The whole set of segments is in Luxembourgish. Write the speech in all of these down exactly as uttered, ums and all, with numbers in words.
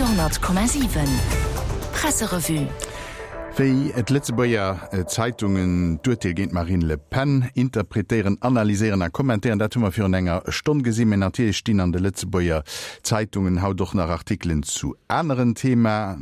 Radio honnert Komma siwen Presserevue. Wéi d'Lëtzebuerger Zeitungen d'Urteel géint d'Marine Le Pen interpretéieren, analyséieren a kommentéieren, dat hu mer virun enger Stonn gesinn. Mä natierlech stinn an de Lëtzebuerger Zeitungen haut och nach Artikelen zu aneren Thema,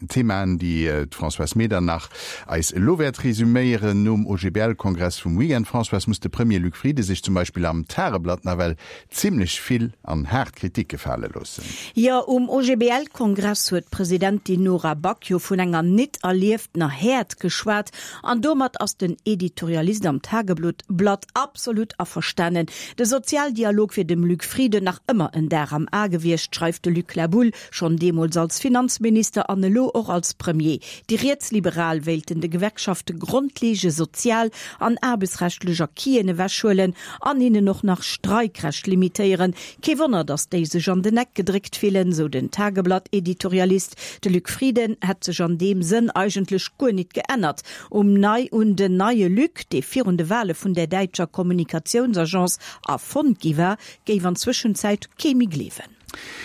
Themaen, déi d'Françoise Medernach eis elo wäert resuméieren. Nom O G B L-Kongress vum Weekend, Françoise, muss de Premier Luc Frieden sech zum Beispill am Tageblatt nawell zimlech vill an haart Kritik gefale loossen. Jo, um O G B L-Kongress huet d'Presidentin Nora Back jo vun enger nit erlieftener Häert geschwat an domat ass den Editorialist am Tageblatt absolut averstanen. De Sozialdialog wier dem Luc Frieden nach ëmmer en Dar am A gewiescht, schreift de Luc Laboulle, schonn deemools als Finanzminister an elo och als Premier. Déi Rietsliberal wéilten de Gewerkschafte grondleeënd sozial an aarbechtsrechtlech Acquisen ewechhuelen an hinnen och nach Streikrecht limitéieren. Kee Wonner, dass déi sech an den Eck gedréckt fillen, sou den Tageblatt-Editorialist. De Luc Frieden hätt sech an deem Sënn eigentlech guer nit geännert. Um nei un den neie Luc, dee virun de Wale vun der däitscher Kommunikatiounsagence erfonnt gi war, géif an Zwëschenzäit kee méi gleewen.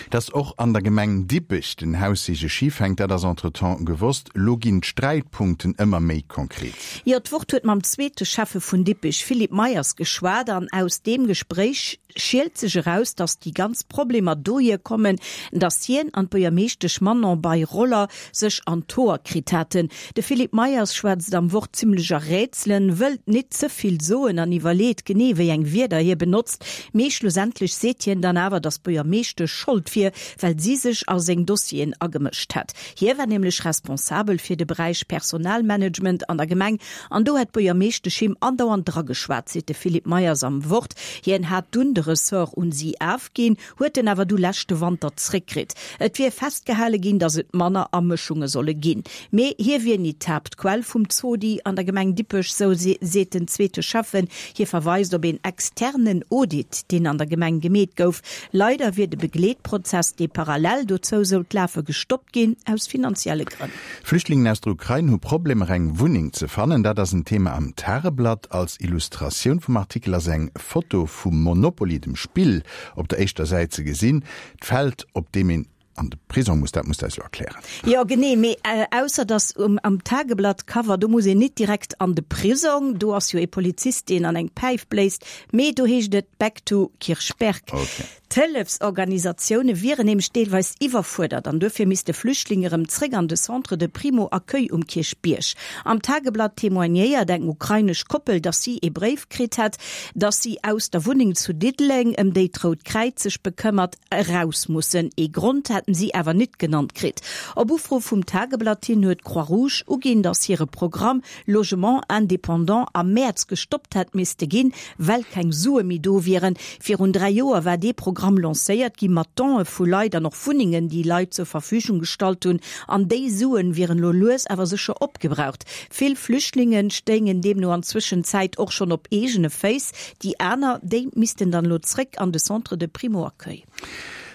Dass och an der Gemeng Dippech den Haussege schif hänkt, dat ass entretemps gewosst. Lo ginn d'Sträitpunkten ëmmer méi konkret. Jo, d'Wort huet mam zweete Schäffe vun Dippech, Philippe Meyers, geschwat an aus deem Gespréich schielt sech eraus, dass déi ganz Problemer dohier kommen, dass hien an d'Buergermeeschtesch Manon Bei-Roller sech an d'Hoer kritt haten. De Philippe Meyers schwätzt am Wort zimlech a Rätselen, wëllt nit ze vill soen an iwwerleet genee, wéi eng Wierder hie benotzt. Mee schlussendlech seet hien dann awer, dass d'Buergermeeschtesch Schold wier, well si sech a seng Dossieren agemëscht hätt. Hie war nämlech responsabel fir de Beräich Personalmanagement an der Gemeng an do hätt d'Buergermeeschtesch him andauernd drageschwat, seet de Philippe Meyers am Wort. Hien hat dunn de Ressort un si ofginn, huet en awer du leschte Wanter zréckkritt. Et wier festgehale ginn, dass et manner Amëschunge solle ginn. Mee hie wier nit d'Haaptquell vum Zodi an der Gemeng Dippech, sou seet den zweete Schäffen. Hie verweist op een externen Audit, deen an der Gemeng gemeet gouf. Leider wier de Begleetprozess, dee parallel dozou sollt lafe, gestoppt ginn, aus finanzielle Grënn. Flüchtlingen aus der Ukrain hu Problemer eng Wunneng ze fannen, dat ass en Thema am Tageblatt. Als Illustratioun vum Artikel ass eng Foto vum Monopoly, dem Spill, op der éischter Säit ze gesinn. D'Feld, op deem een an de Prisong muss, dat muss de eis elo erklären. Jo, genee, mee ausser dass um am Tageblatt-Cover, do muss een nit direkt an de Prisong, do ass jo ee Polizist, deen an eng Päif bléist, mee do heescht et Back to Kirchberg. Okay. D'Hëllefsorganisatioune wieren nämlech deelweis iwwerfuerdert an duerfir misste Flüchtlinge erëm zréck an de Centre de Primo-Accueil um Kierchbierg. Am Tageblatt témoignéiert eng ukrainesch Koppel, dass si ee Bréif kritt hätt, dass si aus der Wunneng zu Diddeleng, ëm déi d'Rout Kräiz sech bekëmmert, eraus mussen. Ee Grond hätten si awer nit genannt kritt. Op Ufro vum Tageblatt hin huet d'Croix-Rouge uginn, dass hire Programm Logement indépendant am Mäerz gestoppt hätt misste ginn, well keng Sue méi do wieren. Virun dräi Joer war dee Programm lancéiert gi mat Donë vu Leit an och Wunnengen, déi Leit zur Verfügung gestallt hunn, an déi Suen wieren elo lues awer sécher opgebraucht. Vill Flüchtlinge stéingen deemno an Zwëschenzäit och schonn op eegene Féiss, déi aner, déi missten dann elo zréck an de Centre de Primo-Accueil.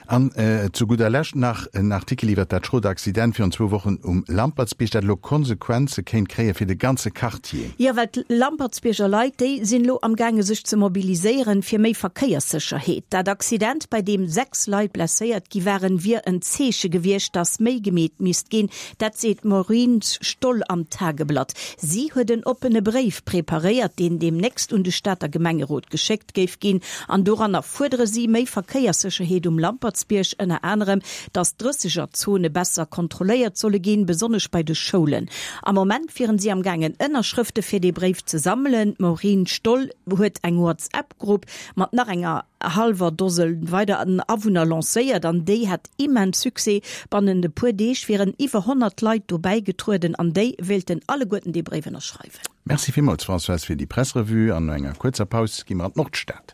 An zu gudder Lescht nach en Artikel iwwer dat schrot Accident virun zwou Wochen um Lampertsbierg, dat elo Konsequenze kéint kréie fir de ganze Quartier. Jo, well d'Lampertsbierger Leit, déi sinn elo am gaange sech ze mobiliséieren fir méi Verkéierssécherheet. Dat Accident, bei deem sechs Leit blesséiert gi waren, wier en Zeeche gewiescht, datt méi gemeet misst ginn. Dat seet d'Maureen Stoll am Tageblatt. Si huet en oppene Bréif preparéiert, deen deemnächst un de Stater Gemengerot geschéckt géif ginn. An doranner fuerdere si méi Verkéierssécherheet um Lampertsbierg, ënner anerem, datt d'Drëssegerzone besser kontrolléiert solle ginn, besonnesch bei de Schoulen. Am Moment wieren si am gaangen Ënnerschrëfte fir dee Bréif ze sammelen. D'Maureen Stoll huet eng WhatsApp-Grupp mat nach enger hallwer Dose weideren Awunner lancéiert an déi hätt immens Succès. Bannent e puer Deeg wieren iwwer honnert Leit do bäigetrueden an déi wéilten alleguerten dee Bréif ënnerschreiwen. Merci villmools, Françoise, fir déi Presserevue. An no enger kuerzer Paus gi mer an d'Nordstad.